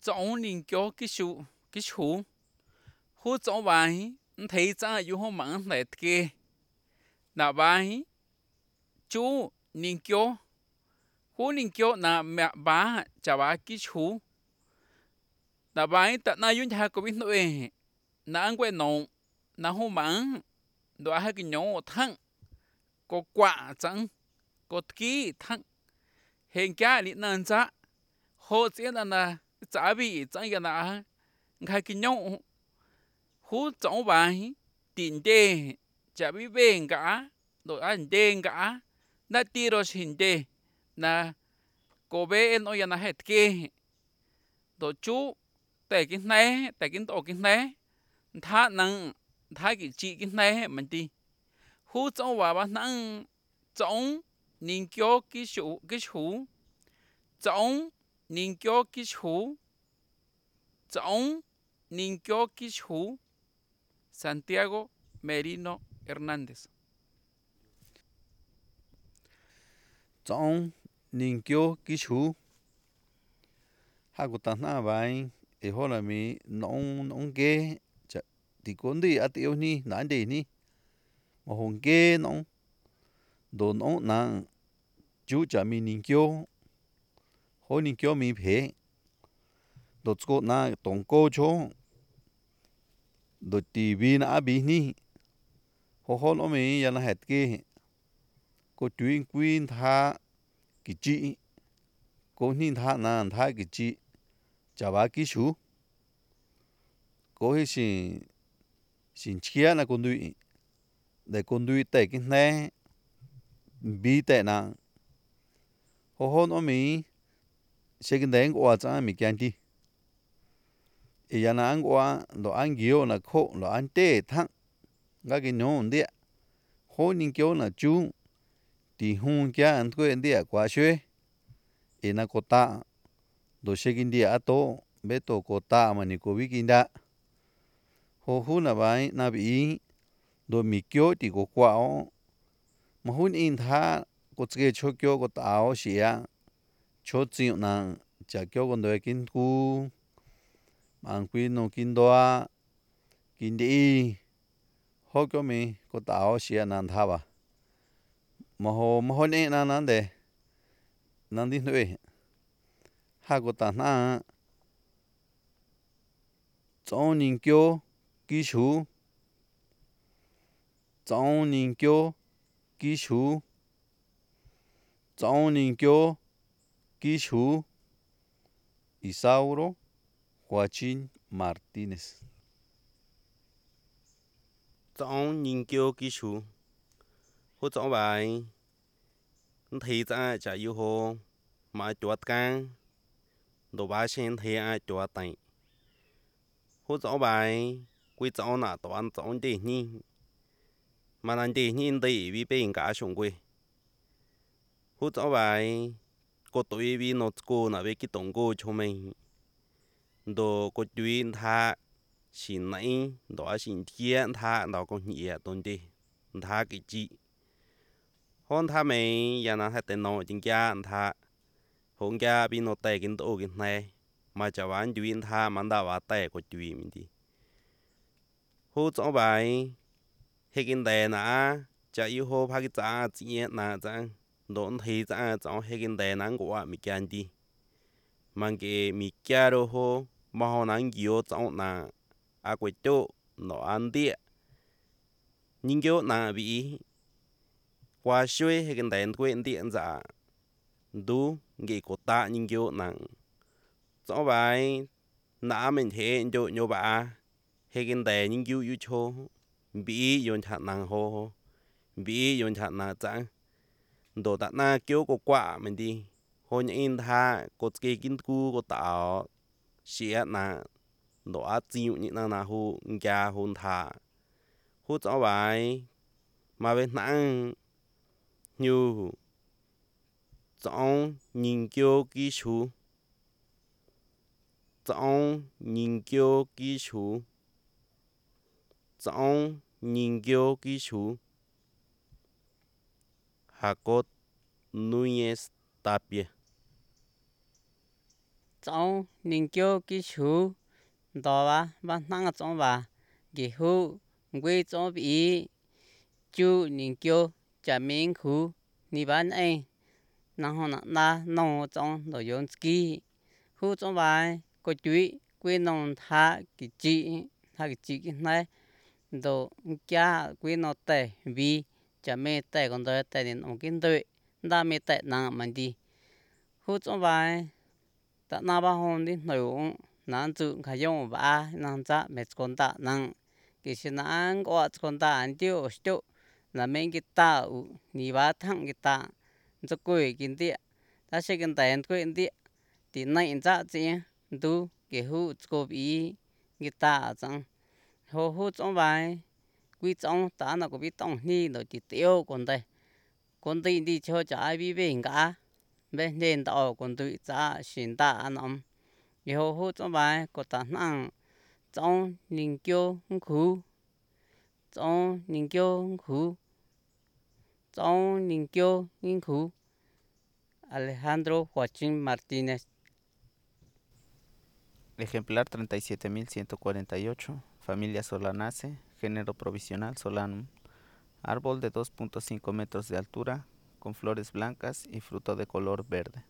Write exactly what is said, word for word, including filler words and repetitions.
Chọn nên cho cái số cái số hú chọn bài thấy cha yêu hô mạng lại kia là bài chú nên cho hú nên cho là mẹ bà chả bà cái số là bài ta na yun ha có biết nói na ăn quên nông na hô mạng đó hai cái nhau thăng có quả chẳng có kỹ thăng hiện cái lý nan cha hồ chỉ là na trả bị chẳng cái na hai cái nhau hú chọn bài tiền đề chả bị bên cả rồi ăn đen cả na ti rồi xin đề na cô bé em nói là hết kia rồi chú tại cái này tại cái tổ cái này thà năng thà cái chị cái này mình đi hú chọn vào bạn năng chọn nên cho cái số cái số chọn nên cho cái số chọn nên cho cái số Santiago Merino Hernández. Chọn nên cho cái số hai cái tảng na bài ấy hồi là mi nông nông ghê chả thì con đi ăn tiêu ni nãy đi ni mà hồng ghê nông đồ nông nặng chú chả mi nên cho hồi nên cho mi phê đồ chỗ na tổng cô cho đồ tivi na bị ni hồi hồi nó mi giờ là hết kia cô tuyên quyên tha cái chị cô nhìn tha na tha cái chị chả ba cái số cô ấy xin xin chia là con đuôi để con đuôi tại cái này bị tại nào hồ hồ nó mi sẽ cái đấy qua cho mi kiên đi ý là anh qua lo anh kêu là khô lo anh tê thăng cái cái nhon đấy hồ ninh kêu là chú thì hung kia anh quên anh đấy qua xuôi ý là cô ta đồ sẽ cái đấy à to bé to cô ta mà ni cô biết kinh đã hồ hồ là vậy na bị đồ mi kêu thì cô qua mà hun in tha cô chỉ cho kêu cô tao xí à cho chịu nàng chả kêu con đời kinh cu mang quy nó kinh đoa kinh đi họ kêu mi cô tao xí à nàng tha ba mà hồ mà hôn nè nàng nàng để nàng đi nuôi hai cô ta na trong những kêu kỹ sư trong những kêu kỹ sư trong những kêu kỹ sư Isauro Joaquín Martínez. Chọn nghiên cứu kỹ sư hỗ trợ bài thì ra chả yêu hồ mà chuột càng đồ ba sen thì ai chuột tay hỗ trợ bài quy chọn là toàn chọn để nhìn mà làm để nhìn để vì bên cả sống quê hỗ trợ bài có tuổi vì nó cô là về cái tổng cô cho mình đồ có chuyện tha xin này đó xin thiên tha đó có nghĩa tôn đi tha cái gì hôn tha mày giờ nó hay tên nó chính gia tha hôn gia bị nó tệ kinh tổ kinh này mà cho bạn chuyện tha mà đã vào tệ của chuyện mình đi hô cho bài hay kinh đề nè cho yêu hô phá cái giá trị nè chẳng đốn thì giá cho hay kinh đề nè của mình kiên đi mà cái mình kia đồ hô mà họ nắng nhiều trong nè à quay chỗ nó ăn đi nhưng kiểu nè bị qua xuôi hay cái đèn quên điện giả đủ nghề của ta nhưng kiểu nặng cho bài nã mình thế cho nhau bà hay cái đèn nhưng kiểu yêu cho bị yon chặt nặng hồ bị yon chặt nặng chẳng đồ đặt na kiểu của quả mình đi hồi những tha có cái kinh cu của tạo xịa nặng đồ ác chịu những năng nào hồ gia hôn thả hút cho bài mà bên nặng như trong nghiên cứu kỹ sư trong nghiên cứu kỹ sư trong nghiên cứu kỹ sư Jacob Núñez Tapia trống ninh kiêu kí chú đó ba ba năng trống ba kí hú quê trống bị chú ninh kiêu chả miếng khú ni bán anh năng hồ nặng na nông trống đồ yến ski hú trống ba có chuối quê nông thả kí chị thả kí chị cái này đồ cha quê nông tệ vì chả mê tệ còn đợi tệ đến ông kinh đợi đa mê tệ năng mình đi hú trống ba ta na ba hôn đi nội năng chịu khai用ba năng cha mẹ con ta năng cái sự năng có con ta anh tiêu tiêu là mình cái ta ni ba thằng cái ta cho quê kinh địa ta sẽ kinh tế quê địa thì này cha chị du cái hú có bị cái ta chẳng hú hú trong bài quý trong ta nó có bị tông ni nó chỉ tiêu còn đây còn đây đi cho trái bị bệnh cả bên trên tàu còn tự cha xin ta anh ông yêu hú trong bài có ta năng trong ninh kiêu khu trong ninh kiêu khu trong ninh kiêu khu Alejandro Joaquín Martínez. Ejemplar treinta y siete mil ciento cuarenta y ocho, familia Solanaceae, género provisional Solanum, árbol de dos punto cinco metros de altura, con flores blancas y fruto de color verde.